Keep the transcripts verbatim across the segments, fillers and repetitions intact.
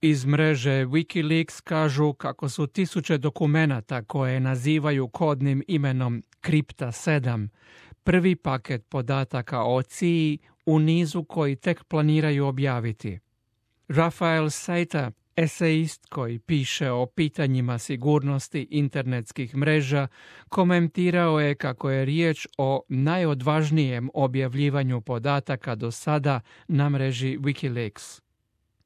Iz mreže Wikileaks kažu kako su tisuće dokumenata koje nazivaju kodnim imenom Kripta sedam, prvi paket podataka o C I A u nizu koji tek planiraju objaviti. Rafael Seita, esejist koji piše o pitanjima sigurnosti internetskih mreža, komentirao je kako je riječ o najodvažnijem objavljivanju podataka do sada na mreži Wikileaks.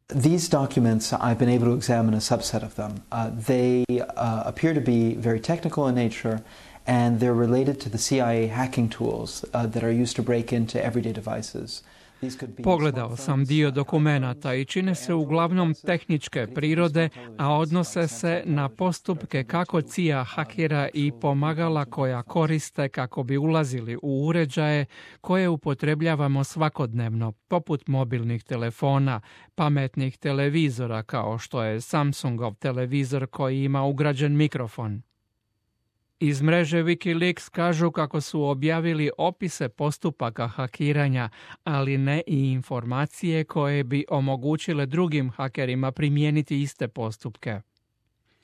These documents, I've been able to examine a subset of them. Uh, they uh, appear to be very technical in nature, and they're related to the C I A hacking tools uh, that are used to break into everyday devices. Pogledao sam dio dokumenata i čine se uglavnom tehničke prirode, a odnose se na postupke kako C I A hakira i pomagala koja koriste kako bi ulazili u uređaje koje upotrebljavamo svakodnevno, poput mobilnih telefona, pametnih televizora kao što je Samsungov televizor koji ima ugrađen mikrofon. Iz mreže Wikileaks kažu kako su objavili opise postupaka hakiranja, ali ne i informacije koje bi omogućile drugim hakerima primijeniti iste postupke.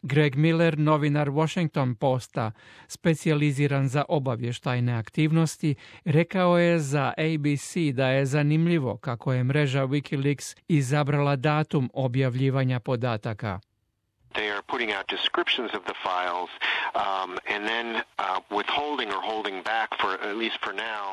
Greg Miller, novinar Washington Posta, specijaliziran za obavještajne aktivnosti, rekao je za A B C da je zanimljivo kako je mreža Wikileaks izabrala datum objavljivanja podataka. They are putting out descriptions of the files um, and then uh, withholding or holding back for at least for now.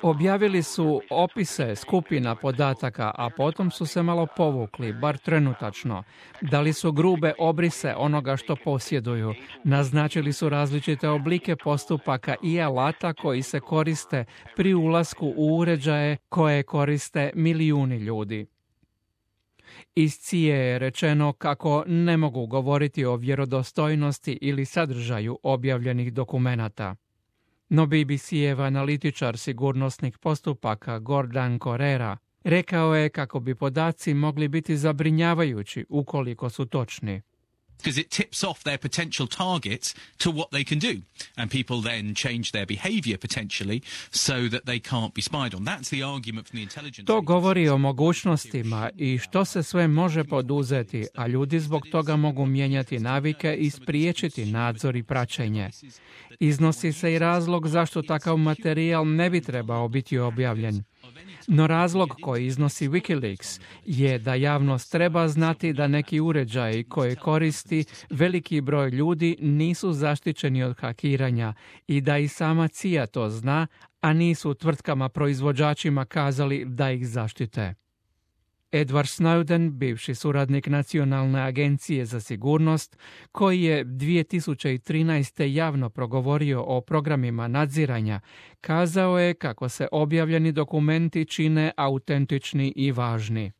Objavili su opise skupina podataka, a potom su se malo povukli, bar trenutačno. Dali su grube obrise onoga što posjeduju. Naznačili su različite oblike postupaka i alata koji se koriste pri ulasku u uređaje koje koriste milijuni ljudi. Iz C I A je rečeno kako ne mogu govoriti o vjerodostojnosti ili sadržaju objavljenih dokumenata. No B B C-ev analitičar sigurnosnih postupaka Gordon Correra rekao je kako bi podaci mogli biti zabrinjavajući ukoliko su točni. Because it tips off their potential targets to what they can do. And people then change their behavior potentially so that they can't be spied on. That's the argument from the intelligence. To govori o mogućnostima i što se sve može poduzeti, a ljudi zbog toga mogu mijenjati navike i spriječiti nadzor i praćenje. Iznosi se i razlog zašto takav materijal ne bi trebao biti objavljen. No razlog koji iznosi Wikileaks je da javnost treba znati da neki uređaji koje koristi veliki broj ljudi nisu zaštićeni od hakiranja i da i sama C I A to zna, a nisu tvrtkama proizvođačima kazali da ih zaštite. Edward Snowden, bivši suradnik Nacionalne agencije za sigurnost, koji je dvije tisuće trinaeste. javno progovorio o programima nadziranja, kazao je kako se objavljeni dokumenti čine autentični i važni.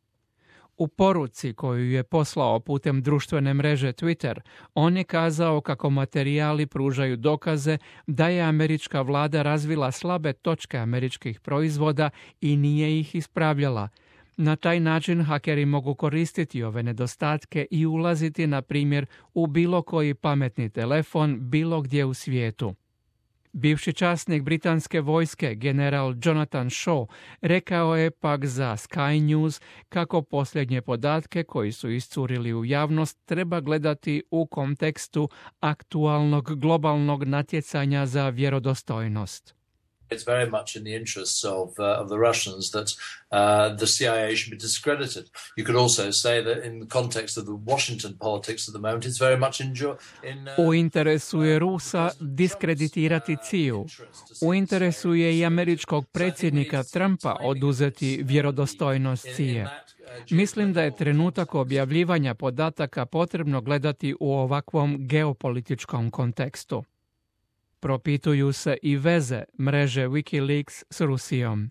U poruci koju je poslao putem društvene mreže Twitter, on je kazao kako materijali pružaju dokaze da je američka vlada razvila slabe točke američkih proizvoda i nije ih ispravljala. Na taj način hakeri mogu koristiti ove nedostatke i ulaziti, na primjer, u bilo koji pametni telefon bilo gdje u svijetu. Bivši časnik britanske vojske, general Jonathan Shaw, rekao je pak za Sky News kako posljednje podatke koji su iscurili u javnost treba gledati u kontekstu aktualnog globalnog natjecanja za vjerodostojnost. It's very much in the interests of, uh, of the Russians that uh, the C I A should be discredited. You could also say that in the context of the Washington politics at the moment, it's very much in... in uh, U interesu je Rusa diskreditirati C I A. U interesu je i američkog predsjednika Trumpa oduzeti vjerodostojnost C I A. Mislim da je trenutak objavljivanja podataka potrebno gledati u ovakvom geopolitičkom kontekstu. Propituju se i veze mreže Wikileaks s Rusijom.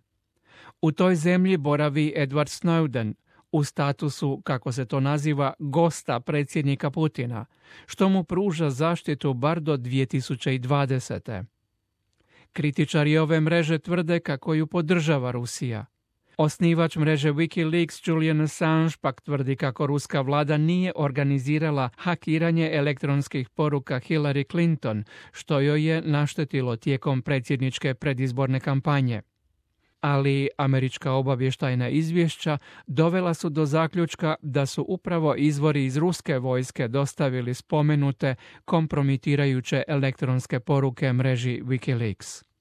U toj zemlji boravi Edward Snowden u statusu, kako se to naziva, gosta predsjednika Putina, što mu pruža zaštitu bar do dvije tisuće dvadesete. Kritičari ove mreže tvrde kako ju podržava Rusija. Osnivač mreže Wikileaks Julian Assange pak tvrdi kako ruska vlada nije organizirala hakiranje elektronskih poruka Hillary Clinton, što joj je naštetilo tijekom predsjedničke predizborne kampanje. ali američka obavještajna izvješća dovela su do zaključka da su upravo izvori iz ruske vojske dostavili spomenute kompromitirajuće elektronske poruke mreži Wikileaks.